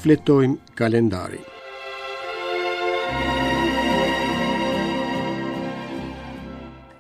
Shfletojmë kalendarin.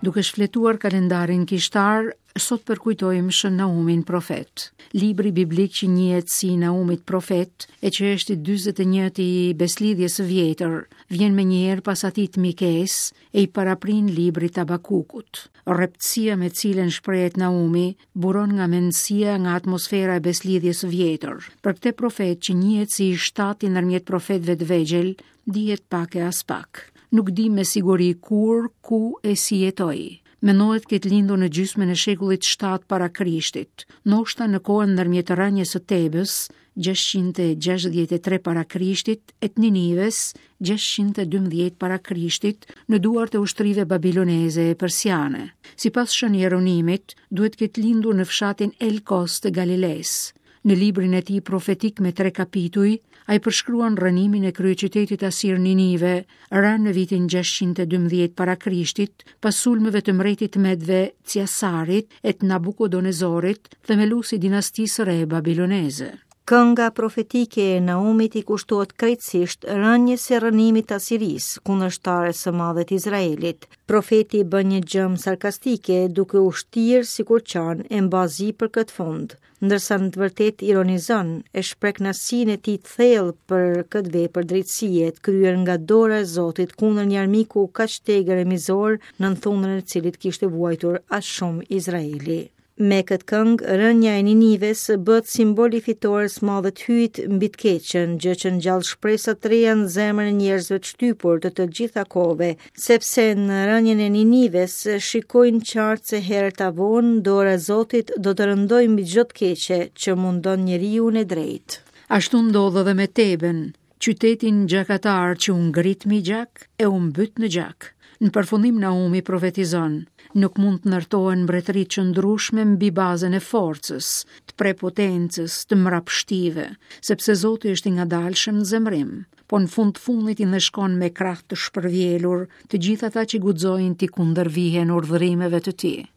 Duke shfletuar kalendarin kishtar, sot përkujtojmë Shën Naumin profet. Libri biblik që njihet si Naumit profet, e që është i 41-ti i Besëlidhjes së Vjetër, vjen menjëherë pas atij të Mikes e i paraprin librit të Habakukut. Rreptësia me cilën shprehet Naumi buron nga mendësia nga atmosfera e Besëlidhjes së Vjetër. Për këtë profet që njihet si i shtati ndërmjet profetëve të vegjël, dihet pak e aspak. Nuk dimë me siguri kur, ku e si jetoi. Mendohet të ketë lindur në gjysmën e shekullit 7 para Krishtit, ndoshta në kohën ndërmjet rënies së Tebës, 663 para Krishtit, e të Ninives, 612 para Krishtit, në duart e ushtrive babiloneze e persiane. Sipas Shën Jeronimit, duhet të ketë lindur në fshatin Elkos të Galilesë. Në librin e tij profetik me tre kapituj, ai përshkruan rrënimin e kryeqytetit asir Ninive, rënë në vitin 612 para Krishtit, pas sulmeve të mbretit të Medëve Ciasarit e të Nabukodonezorit, themelues i dinastisë së re babiloneze. Kënga profetike e Naumit i kushtohet krejtësisht rënies e rrënimit të Asirisë, kundërshtares së madhe të Izraelit. Profeti bën një gjëmë sarkastike duke u shtirë sikur qan e mba zi për këtë fund. ndërsa në të vërtetë ironizon e shpreh kënaqësinë e tij të thellë për këtë vepër drejtësie të kryer nga dora e Zotit kundër një armiku kaq të egër e mizor nën thundrën e të cilit kishte vuajtur aq shumë Izraeli. Me këtë këngë, rënia e Ninives bëhet simbol i fitores së madhe të Hyjit mbi të keqen, gjë që ngjall shpresa të reja në zemrën e njerëzve të shtypur të të gjitha kohëve, sepse në rënien e Ninives shikojnë qartë se herët a vonë dora e Zotit do të rëndojë mbi çdo të keqe që mundon njeriun e drejtë. Ashtu ndodh edhe me Teben, qytetin gjakatar që u ngrit mbi gjak e u mbyt në gjak. Në përfundim Naumi profetizon, nuk mund të ndërtohen mbretëri të qëndrueshme mbi bazën e forcës, të prepotencës, të mbrapshtive, sepse Zoti është i ngadalshëm në zemërim. po në fund të fundit i ndëshkon me krahë të shpërvjelur të gjithë ata që guxojnë t'i kundërvihen urdhërimeve të tij.